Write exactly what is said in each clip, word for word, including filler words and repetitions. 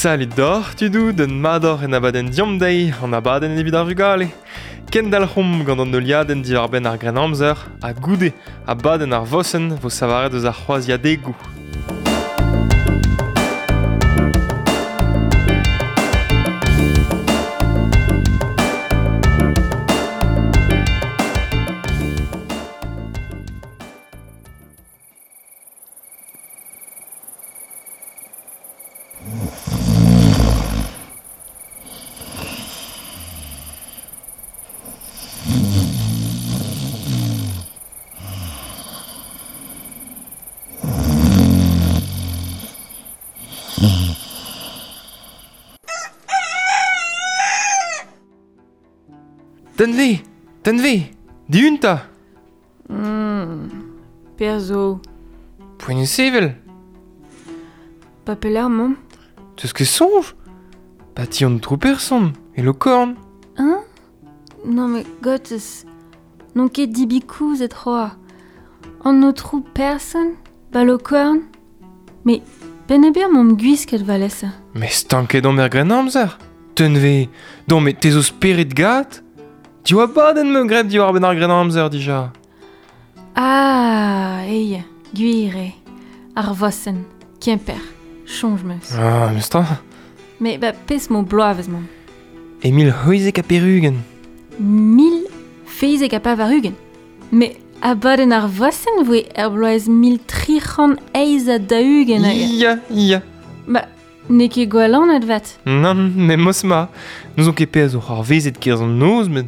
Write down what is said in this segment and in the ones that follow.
Salut d'or, tudou, d'un mador en abadenn diom deiz, an abadenn evit ar vugale. Kendalc'homp gant an heuliadenn diwar-benn ar Grennamzer, ha goude abadenn ar vosenn vo savaret eus ar c'hroaziadegoù. Tenve, tenve, diunta. Mm, perzo. Poent sevel. Pa pelec'h mañ. Teus ket soñj? Pa ti an trou person, e Lokorn. Hein? Non mais gottes, n'on ket dibikouz et c'hoa. An autrou person, ba Lokorn. Mais ben e ber m'om gwisket valesa. Mais stanket on er Grennamzer. Tenve, don mais te zo spered gat? Div abadenn me graet diwar benn ar Grennamzer dija. Ah, ey, gwir eo. Ar vosenn, Kemper, soñj meus. Ah, meus ta. Mais ba pezh mo bloavezh mañ. E mil c'hwezek ha pevar-ugent. Mil feizek ha pevar-ugent. Mais abadenn ar vosenn voe er bloaz mil tri c'hant eizh ha daou-ugent hag... Ya, ya. Ba, n'eo ket gwall anat vat. Nann, memes ma. N'ouzon ket pezh zo c'hoarvezet kerzh an noz, met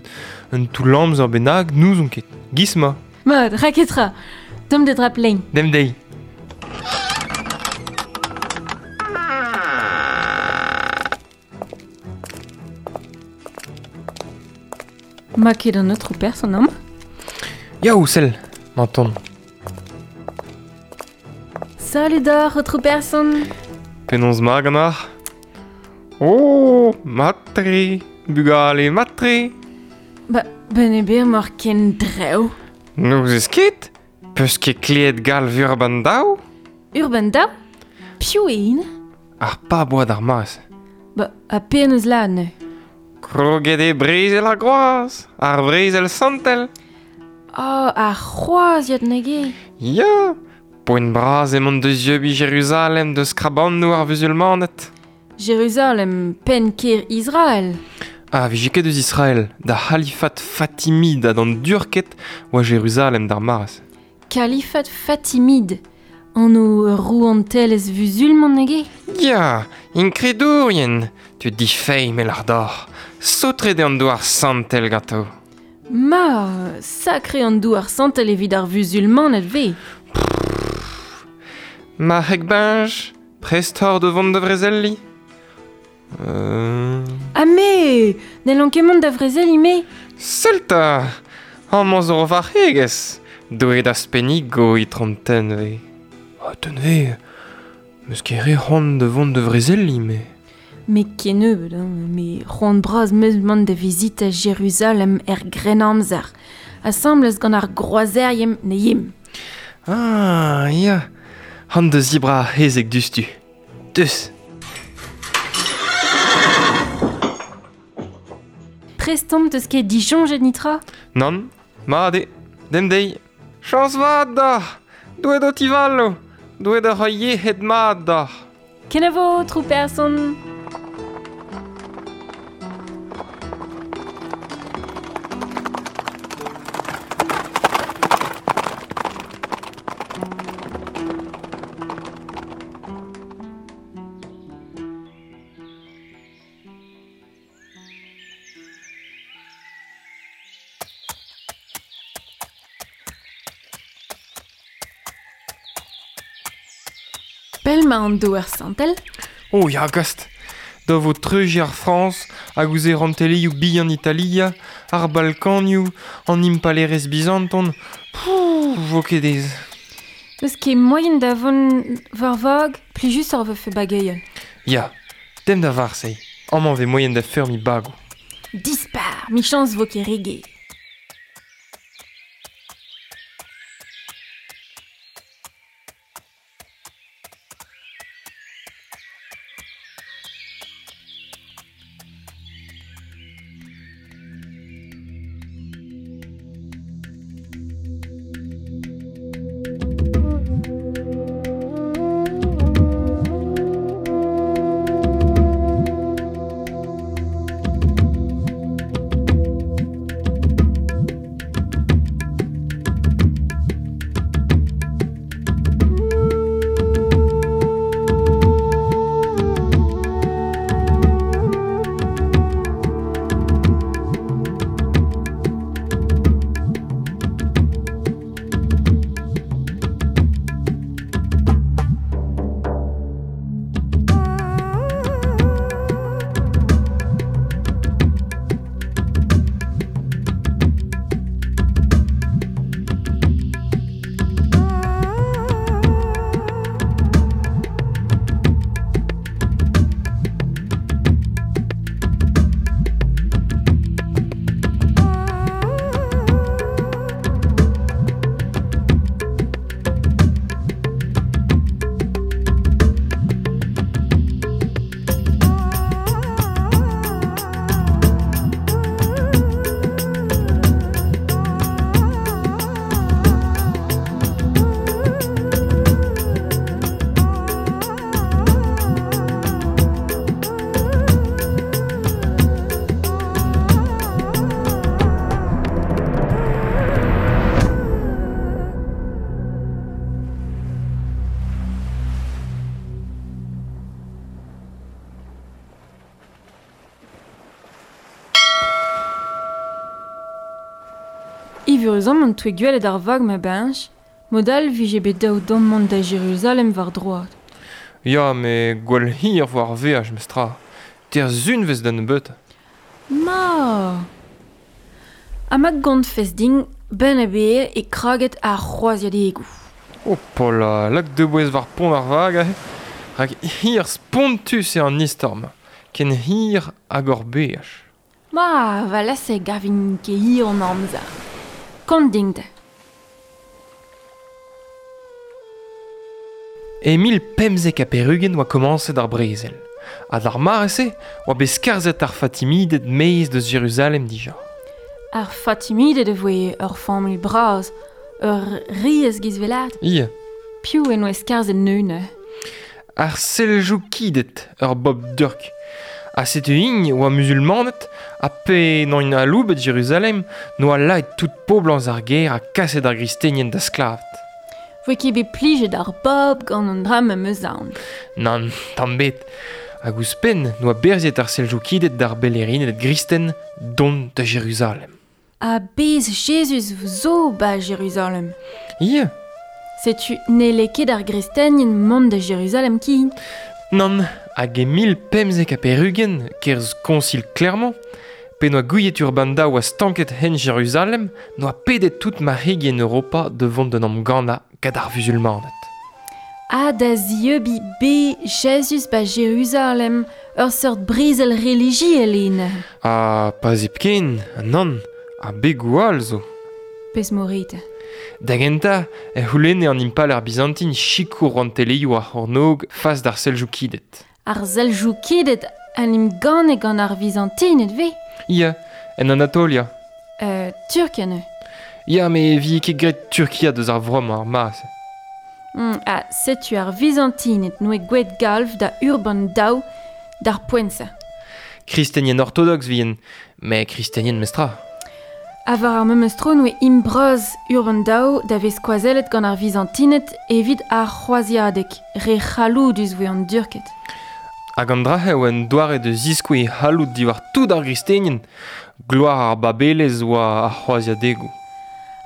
un toull amzer bennak n'ouzon ket. Giz ma. Mat, raketra. Tomm da drap lein. Dem deiz. Ma ket an autre person amañ? Yaou, sell, m'entend. Salut d'or, autre person. Penaos ma ganeoc'h? Oh, matre, bugale matre. Ba, ben e ber mor ken drev. N'ouzez ket? Peus ket kleet galv Urban Daou? Urban Daou? Piv eo int? Ar pab oa d'ar maz. Ba, ha penaos la neuze? Kroget eo brezel ar groaz, ar brezel santel. Oh, ar c'hroaziad nag eo. Ya, poent bras emañ deus dieubiñ Jeruzalem deus krabannoù ar vuzulmaned. Jeruzalem, penn kêr Israel. Ah, vije ket eus Israel, da c'halifat Fatimid ha d'an Durked oa Jeruzalem d'ar mare. Kalifat Fatimid, an o rouantelezh vuzulman nag eo? Ya, inkredourien, tud difeiz mel ar dor, saotret eo an douar santel ganto. Ma, sakre an douar santel evit ar vuzulmaned vez. Ma heg benj, prest hor de vont da vrezelli. Euh... Ah me, n'hellon ket mont da vrezelli me. Sell 'ta, amañ zo ur varc'hegez, doet da spennigo itron Tenve. Ah, Tenve, meus ket re c'hoant da vont da vrezelli me. Me kennebeut, hein, me c'hoant bras meus mont da vizitañ Jeruzalem er Grennamzer, asambles gant ar groazerien ne yim. Ah, ya, han da zibra ar c'hezeg diouzhtu. Deus. Prest omp teus ket disoñjet nitra? Nann, mat eo, dem deiz. Chañs vat deoc'h, Doue d'ho tivalo, Doue da roiñ yec'hed mat deoc'h. Kenavo, trou person. Pell ma an douar santel? Oh ya, gast. Da vo treujiñ ar Frañs, hag ouzh e rantelioù bihan Italia, ar Balkanioù, an impalerezh bizanton. Pouh, vo ket aes. N'eus ket moaien da vont war vag, plijus ar vefe bageion. Ya, dem da Varseilh. Amañ vez moaien da feurmiñ bagoù. Dispar, michañs vo ket re ger. Evuruzamant toue gwelet ar vag ma bench, modal vije bet daou dom mont da Jeruzalem war droad. Ya, me gwell hir vo ar veaj mestra. Ter zunvez da nebeut. Ma! Ha ma gantfez din, ben a beer e kraget ar c'hroaziadegoù. Oh pola, lak de bouez war pont ar vag ahe. Rak hir spontus eo an istorm, ken hir hag ur beaj. Ma, va lase gavin ket hir an amzer. Kont din da. E mil pemzek ha perugen oa komañset ar brezel. Ha d'ar mare-se oa bet skarzhet ar Fatimided maez deus Jeruzalem dija. Ar Fatimided e voe ur familh bras, ur riez gizvelat. Ie. Piv en oa skarzhet neune? Ar Seljoukided, ur bob durk. Ha setu int oa musulmanet, ha pe n'oint aloubet Jeruzalem, n'oa laet tout poblañs ar gêr ha kaset ar gristenien da sklaved. Voe ket bet plijet ar bob gant an dra ma meus aon. Nann, tamm bet. Hag ouzhpenn n'oa berziet ar Seljoukided d'ar belerined gristen dont da Jeruzalem. Ha bez Jezuz zo ba Jeruzalem. Ie. Setu n'helle ket ar gristenien mont da Jeruzalem kin. Nann, hag e mil pemzek ha perugen, kerzh konsil Clermont, pe n'oa gouiet Urban Daou oa stanket hen Jeruzalem, n'oa pedet tout marc'hegien Europa de vont d'un amgannañ gant ar vuzulmaned. Ha da zieubi be Jezuz ba Jeruzalem, ur seurt brezel relijiel eo. Ha pas hepken, nann, ha begoù all zo. Pezh morit. Da gentañ, e c'houlenne an impalaer bizantin sikour rouantelezhioù ar c'hornôg fas d'ar Seljoukided. Ar Seljoukided an em ganne gant ar Vizantined ve? Ya, en Anatolia. Euh, Turkia ne? Ya, me vi ket graet Turkia deus ar vro ar mare-se. Mm, ha setu ar Vizantined noe gweet galv da Urban Daou d'ar poent-se. Kristenien ortodox vien, me kristenien mestra. Ha war ar memes tro noe imbraz Urban Daou da vez skoazellet gant ar Vizantined evit ar c'hroaziadeg, re c'halloudus voe an Durked. Hag an dra eo en doare de ziskoue c'halloud diwar tout ar gristenien, gloar ar babelez oa ar c'hroaziadegoù.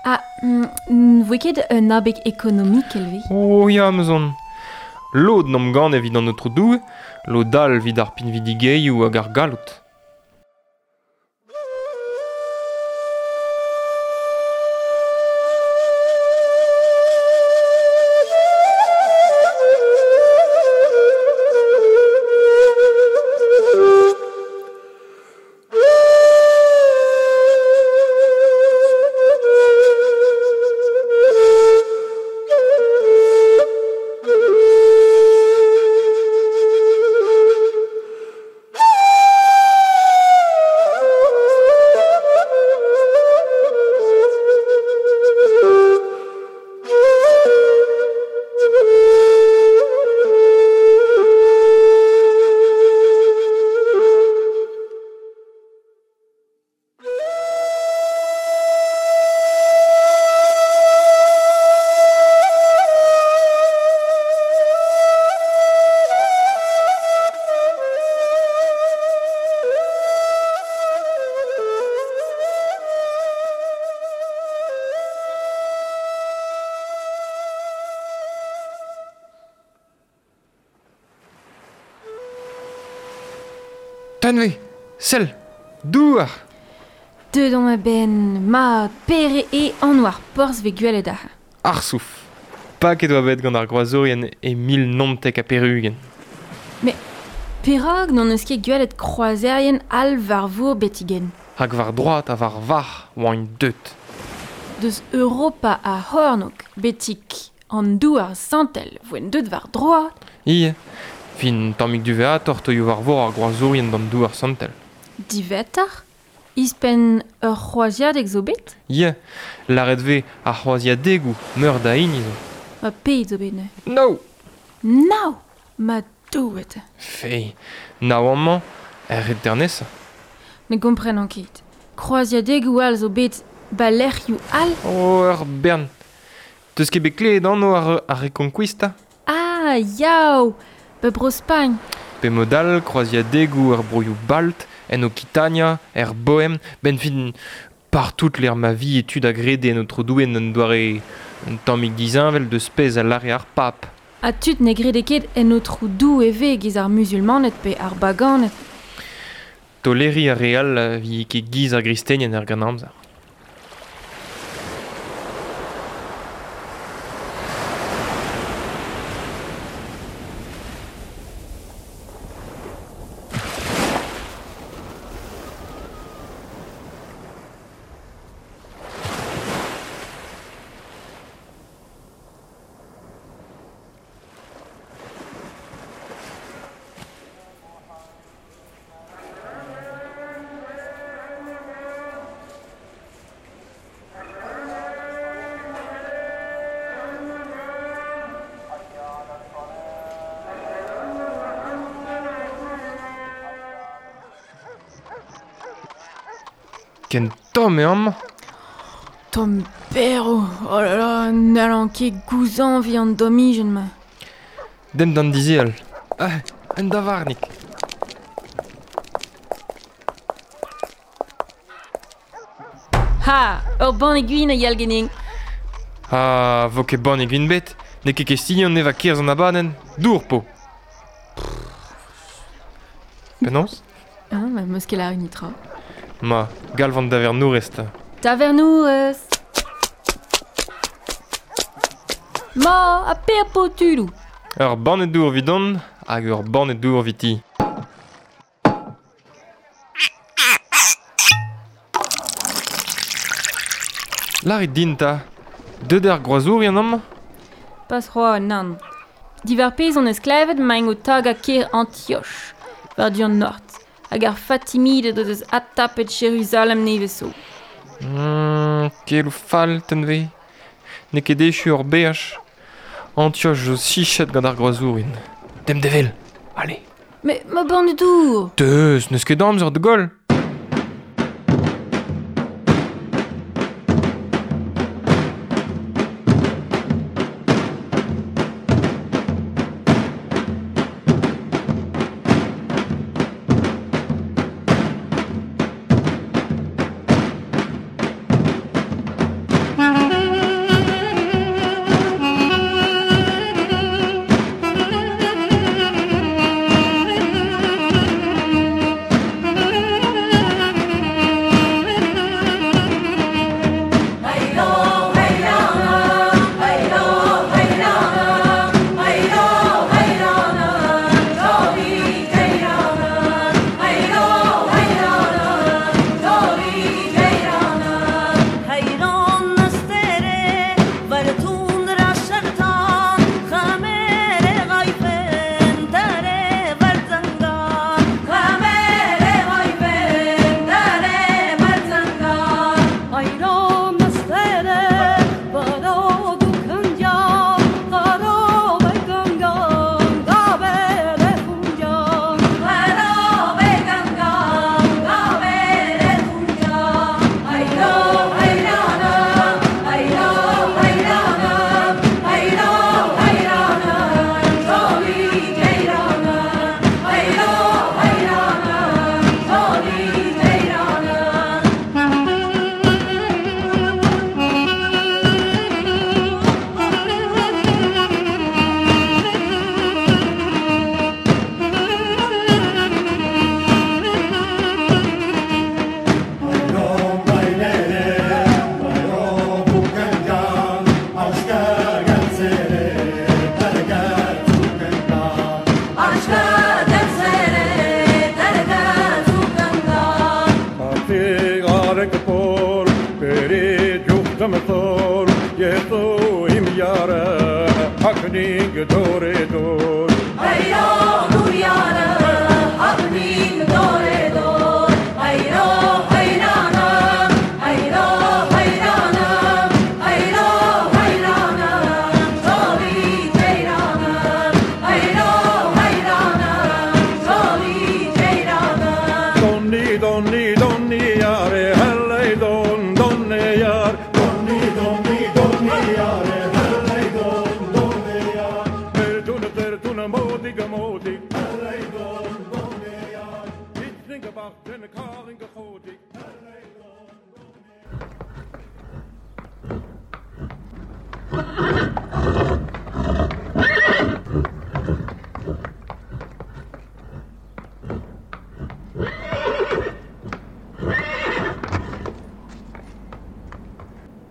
Ha mm, voe ket un abeg ekonomikel ve? Oh ya, meus on. Lod n'am gant evit an aotrou Doue, lod all evit ar pinvidigeioù hag ar galloud. Tanve, sell, douar. Deut on a-benn, ma pere e an war porzh ve gwelet ar. Ar souf. Paket oa bet gant ar groazourien e mil naontek ha perugen. Mais perak n'on eus ket gwelet kroazerien all war vour betigen. Hag war droad ha war var oa int deut. Deus Europa a c'hornôg betik an douar santel voent deut war droad. Ie. Fin tammig duveator toioù war vor ar groazourien d'an douar santel. Divetar? Ispenn ur c'hroaziadeg zo bet? Ie, lâret vez ar c'hroaziadegoù meur da hini zo. Ma pet zo bet ne? No! Nao! Ma douet! Fei, nao amañ, er ret dernesa. Ne gomprenan ket. Kroaziadegoù all zo bet ba lec'hioù all? Oh, ur bern. Teus ket bet klevet anv ar, ar Reconquista? Ah, yaou! Ba Bro-Spagn. Pe mod all, kroaziadegoù er broioù Balt, en Okitania, er Bohem, ben fin Partout l'er ma vi etud a grede en otro douen un doare un tammig dizinvel de spez a lare ar pap. Ha tud ne grede ket en otro dou e ve giz ar musulmanet pe ar baganet. Toleri a real vi ket giz ar gristenien er gant amzer. Ken tomm eo amañ. Tomm berv, oh là là, n'hallan ket gouzañviñ an domijenn ma. Demp d'an dizeal. Ah, un davarnig. Ha, ur banne gwin a yal genin. Ha, vo ket banne gwin bet. N'eo ket kestilhon eva kerz an abadenn. Dour po. Penaos? Ah, ma meus ket lâret nitra. Ma, galv an davernourez ta. Davernourez. Ma, a per po tudou. Ur banne dour vidon hag ur banne dour viti. Lârit din ta, deut ar groazourien amañ? Pas c'hoazh, nann. Diwar pezh on eus klevet maint o tagañ kêr Antioch, war du an nord, hag ar Fatimided o deus adtapet Jeruzalem nevez zo. Mm, keloù fall, tenve. N'eo ket echu ur beaj. Antioch zo sichet gant ar groazourien. Demp devel, allez. Mais ma banne dour. Deus, n'eus ket amzer de goll.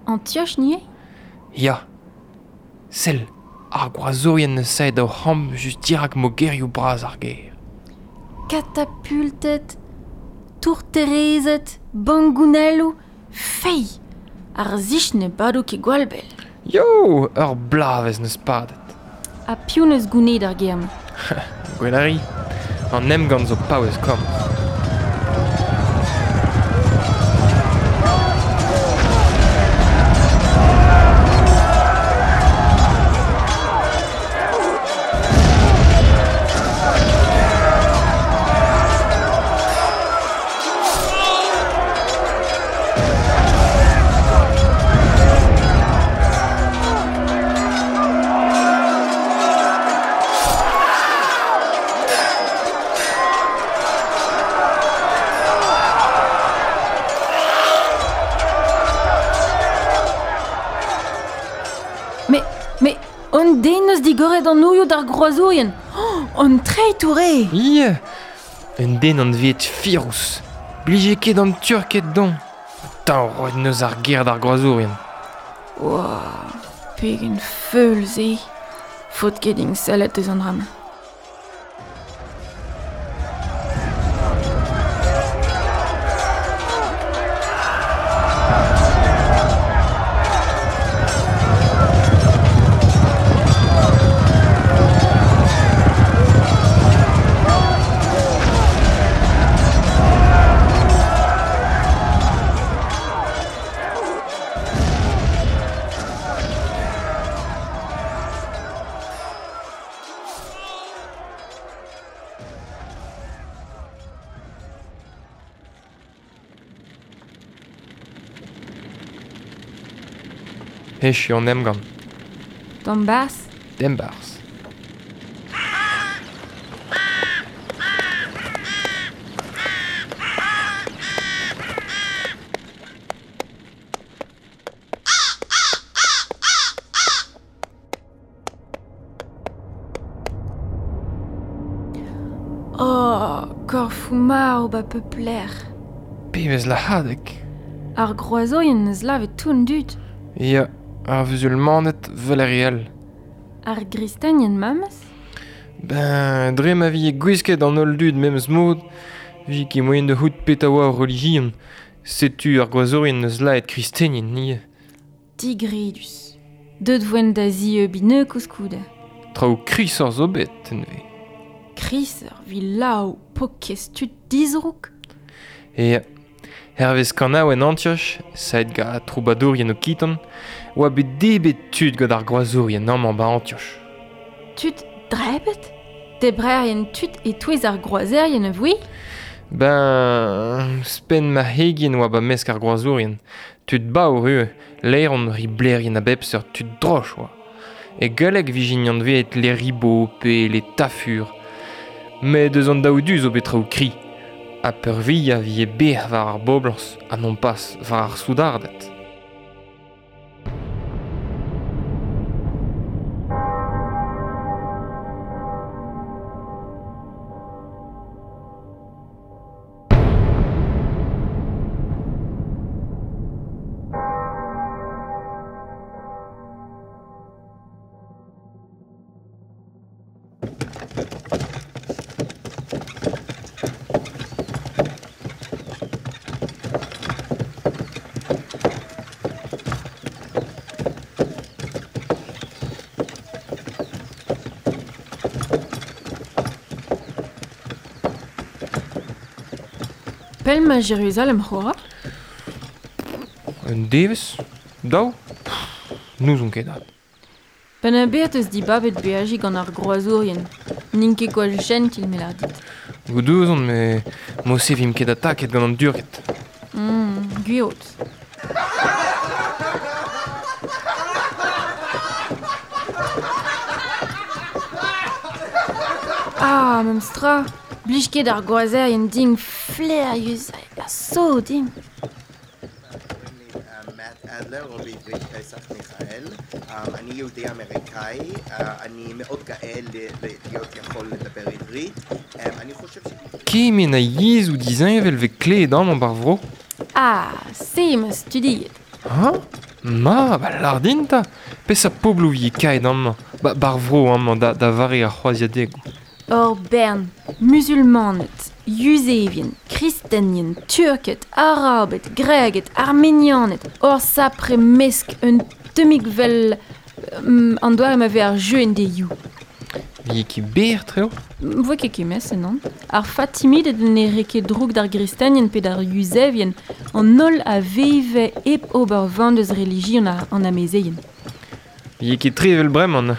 Antioch nie? Ya. Sell, ar groazourien neus saet o c'hamp just dirak mogerioù bras ar gêr. Katapultet, tourterezet, bangounelloù, fei! Ar zich ne bado ket gwall bell. Yo, ur blavez neus padet. Ha piv neus gounid ar gêr-mañ? Gwell a ri, an emgann zo paouez komz. Mais on den eus digoret an ouioù d'ar groazourien. Oh, an treitour eo. Ie, un den an vet firous. Blije ket an Turked don. Tañ roet neus ar ger d'ar groazourien. Oua, pegen feul se. Faot ket din sellet eus an dra-mañ. Echu an emgann. D'embarzh? D'embarzh. Oh, korfoù marv ba peupler. Pebezh lahadeg. Ar groazourien neus lavet tout an dud. Ya, ar vuzulmaned vel ar re all. Ar gristenien memes? Ben, dre ma vi gwisket an holl dud memes mod, vi ket moaien da c'hoût petra oa ar relijion. Setu ar groazourien neus laet kristenien, nie. Digredus. Deut voen da zieubiñ neu koulskoude. Traoù krisoc'h zo bet, neuze. Krisoc'h vi laou pokez tud dizrouk. E hervez kanaouenn Antioch, saet gant troubadourien okitan, oa bet debet tud gant ar groazourien amañ ba Antioch. Tud drebet? Debrerien tud e-touez ar groazerien a voe? Ben, spenn ma hegien oa ba mesk ar groazourien. Tud baour eo, laeron riblerien a bep seurt tud droch oa. E galleg vijin anveet les ribots pe les tafurs. Met eus an daou du zo bet traoù kri. Ha peurvuiañ vi e ber war ar boblañs ha non pas war ar soudarded. Pell ma Jérusalem c'hoa? Un devezh? Daou? N'ouzon ket dat. Penn a bet eus dibabet beajiñ gant ar groazourien. N'int ket gwall jentil me lâr dit. Goudouzon, met mo-se vimp ket ataket gant an Durked. Mm, gwir. Ah, memes tra. Blij ket ar groazerien din flaerius ha so din. אדלר, או בעברית פסח מיכאל. אני יהודי אמריקאי, אני מאוד גאה להיות יכול לדבר עברית. אני חושב ש... Kement a yezhoù disheñvel vez klevet amañ bar vro? Ah, se ma studiet. Ha? Ma, ba lar din 'ta. Peseurt pobloù vije kaet amañ, ba bar vro amañ da, da vare ar c'hroaziadegoù. Ur bern, musulmaned, yuzevien, kristenien, turked, arabed, greged, armenianed, ur sapre mesk un tammig vel um, an doare ma vez ar jeu en deioù. Vije ket berr treo? Voe ket kemese, non? Ar Fatimided ne re ket droug d'ar gristenien pe d'ar yuzevien, an holl a veve hep ober van deus relijion ar an amezeien. Vije ket tre evel bremañ.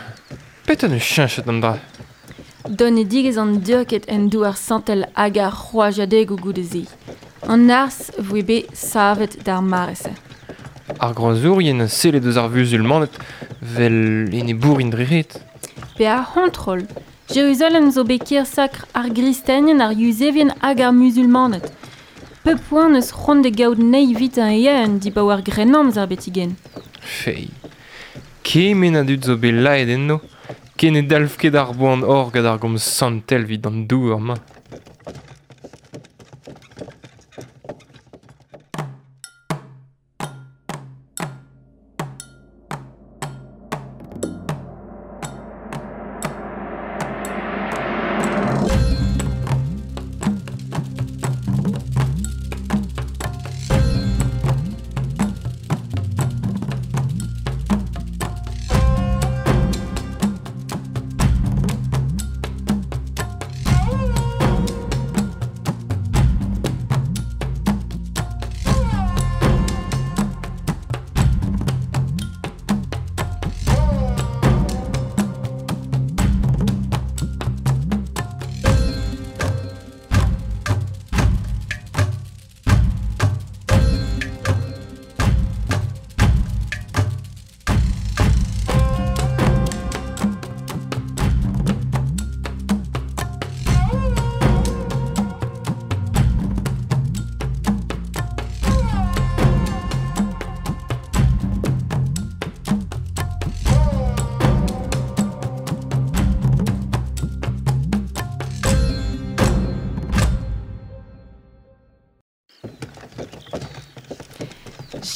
Petra neus cheñchet an dra? Donedigezh an Durked en douar santel hag ar c'hroaziadegoù goude-se. An arz voe bet savet d'ar mare-se. Ar groazourien a selle deus ar vuzulmaned vel enebourien dre ret. Pe ar c'hontrol. Jeruzalem zo bet kêr sakr ar gristenien, ar yuzevien hag ar musulmaned. Pep poent eus c'hoant da gaout anezhi evit an eeun dibaoe ar Grennamzer betigen. Fei. Kement a dud zo bet laet enno, ken ne dalv ket ar boan hor gant ar gomz santel evit an douar-mañ.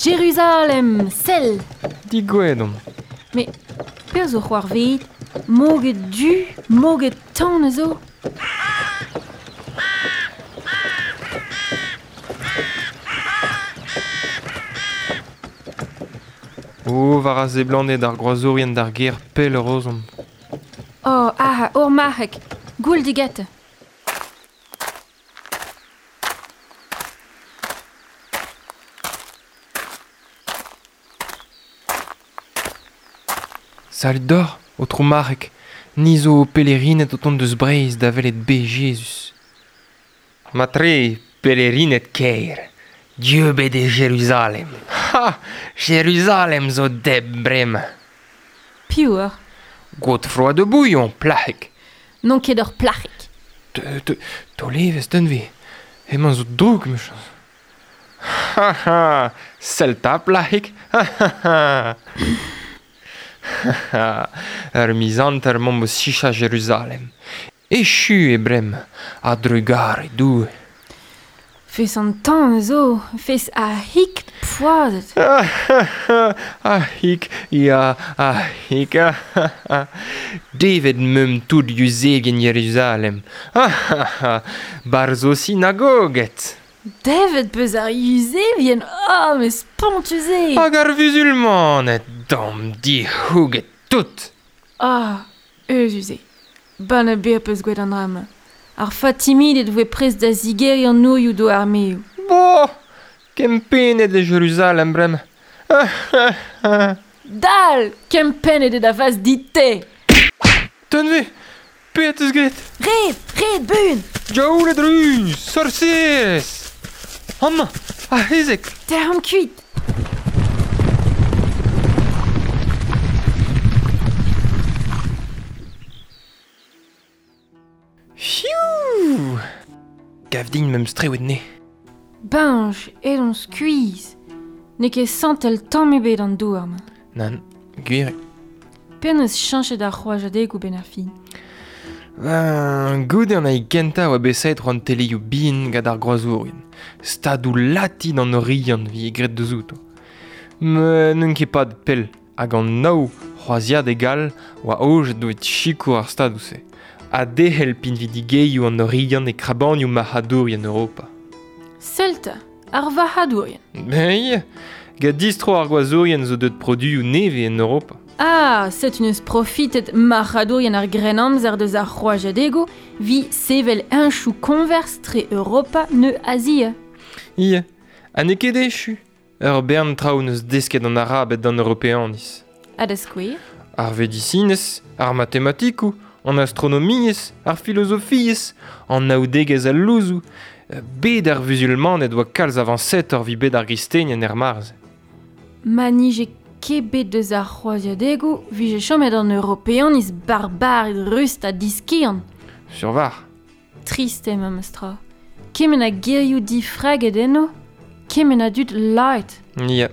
Jeruzalem, sell! Digouezet omp. Mais perzh zo c'hoarvezet, moged du, moged tan a zo. O, war a seblanted ar groazourien d'ar gêr pell ur ozomp. Oh, aha, ur marc'heg, goull digete. Salud d'or, aotrou marc'heg, ni zo pelerined o tont deus Breizh da welet bez Jezuz. Matre, pelerined kaer, dieubet e Jeruzalem. Ha! Jeruzalem zo deb bremañ. Piv eur? Godefroy de Bouillon, plac'heg. N'on ket ur plac'heg. Te, te, taol evezh denve, hemañ zo droug, mechañs. Ha ha! Sell 'ta, plac'heg! Ha ha ha! Ur miz hanter 'maomp o sichañ Jeruzalem. Echu eo bremañ, a drugare Doue. Fes an tan a zo, fes a hik poazhet. A hik, ya, a hik. Devet meump tout yuzevien Jeruzalem. Barzh o sinagoget. Devet peus ar yuzevien, oh, mais spontus eo. Hag ar vuzulmaned, dam dic'houget tout. Ah, euzhus eo. Ban a ber peus gwet an dra-mañ. Ar Fatimided voe prest da zigeriñ an nourioù d'o armeoù. Bo, kempennet e Jeruzalem bremañ. Dal, kempennet eo da vaz dit-te. Tenve, petra 'teus graet? Red, red buan. Diaouled ruz, sorserez. Amañ, ar c'hezeg. Tec'homp kuit. Fiou! Gav din me'm strewet ne. Bañj, edon skuizh. N'eo ket santel tamm ebet an douar-mañ. Nann, gwir eo. Penaos cheñchet ar c'hroaziadegoù benn ar fin? Ben, goude an ai kentañ oa bet savet an teleioù bihan gant ar groazourien. Stadoù latin an Oriant vi graet deus outo. Met n'on ket pad pell hag an nav c'hroaziadeg all oa aojet evit sikour ar stadoù-se. Ha derc'hel pinvidigezhioù an Oriant e krabanioù marc'hadourien Europa. Sell 'ta, ar varc'hadourien. Ben ya, gant distro ar gwazourien zo deut produioù nevez en Europa. Ah, setu neus profitet marc'hadourien ar Grennamzer deus ar c'hroaziadegoù vi sevel heñchoù koñvers tre Europa neu Azia. Ya, ha n'eo ket echu. Ur bern traoù neus desket an Arabed d'an Europeaniz. Ha da skouer? Ar vedisinez, ar matematikoù, an astronomiezh, ar filozofiezh, an naoudegezh al louzoù. Bet ar vuzulmaned oa kalz avañsetoc'h evit bet ar gristenien er mare-se. Ma nije ket bet deus ar c'hroaziadegoù vije chomet an Europeaniz barbared rust ha diskiant. Sur var. Trist eo memes tra. Kement a gerioù difraget enno, kement a dud laet. Ya.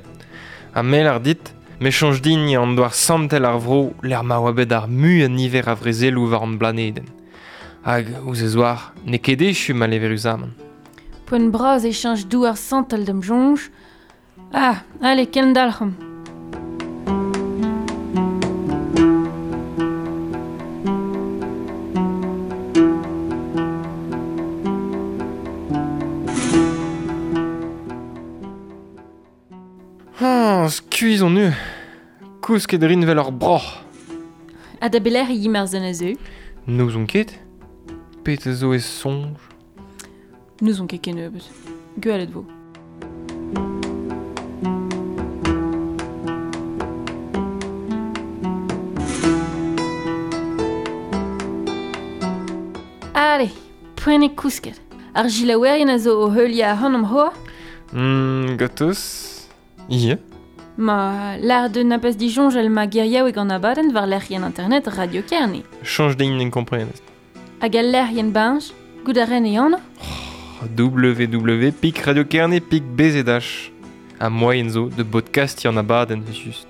Ha mell ar dit, me soñj din an douar santel ar vro lec'h ma oa bet ar muiañ niver a vrezeloù war an blanedenn. Hag ouzh e zoar, n'eo ket echu maleüruzamant. Poent bras e cheñch douar santel d'am soñj. Ah, allez, kendalc'homp. Ah, skuizh on eu. Kousket rin vel ur broc'h. Ha da belec'h e yimp ar zon a zeu? N'ouzon ket. Pet a zo e soñj? N'ouzon ket kennebeut. Gwelet vo. Allez, poent eo kousket. Ar gilaouerien a zo o heuliañ ac'hanomp c'hoazh? Hmm, gatoz. Ya. Ma, lâr deus na pas disoñjal ma geriaoueg an abadenn war lec'hienn internet Radio Kerne. Chañj din en komprenez. Hag al lec'hienn bañj, goût a ren e anv? www pik Radio Kerne pik B Z H. Ha moaien zo de podcastiñ an abadenn just.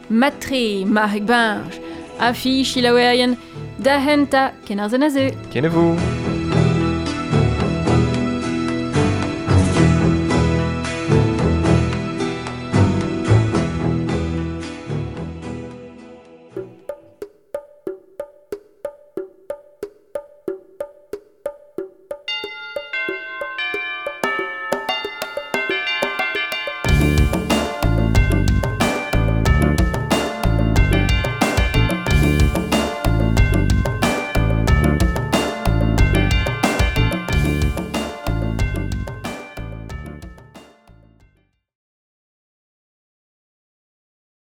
Matre, marc'heg bañj. Afi, chilaouerien, da henta, ken ar zen a zeu. Kenavo.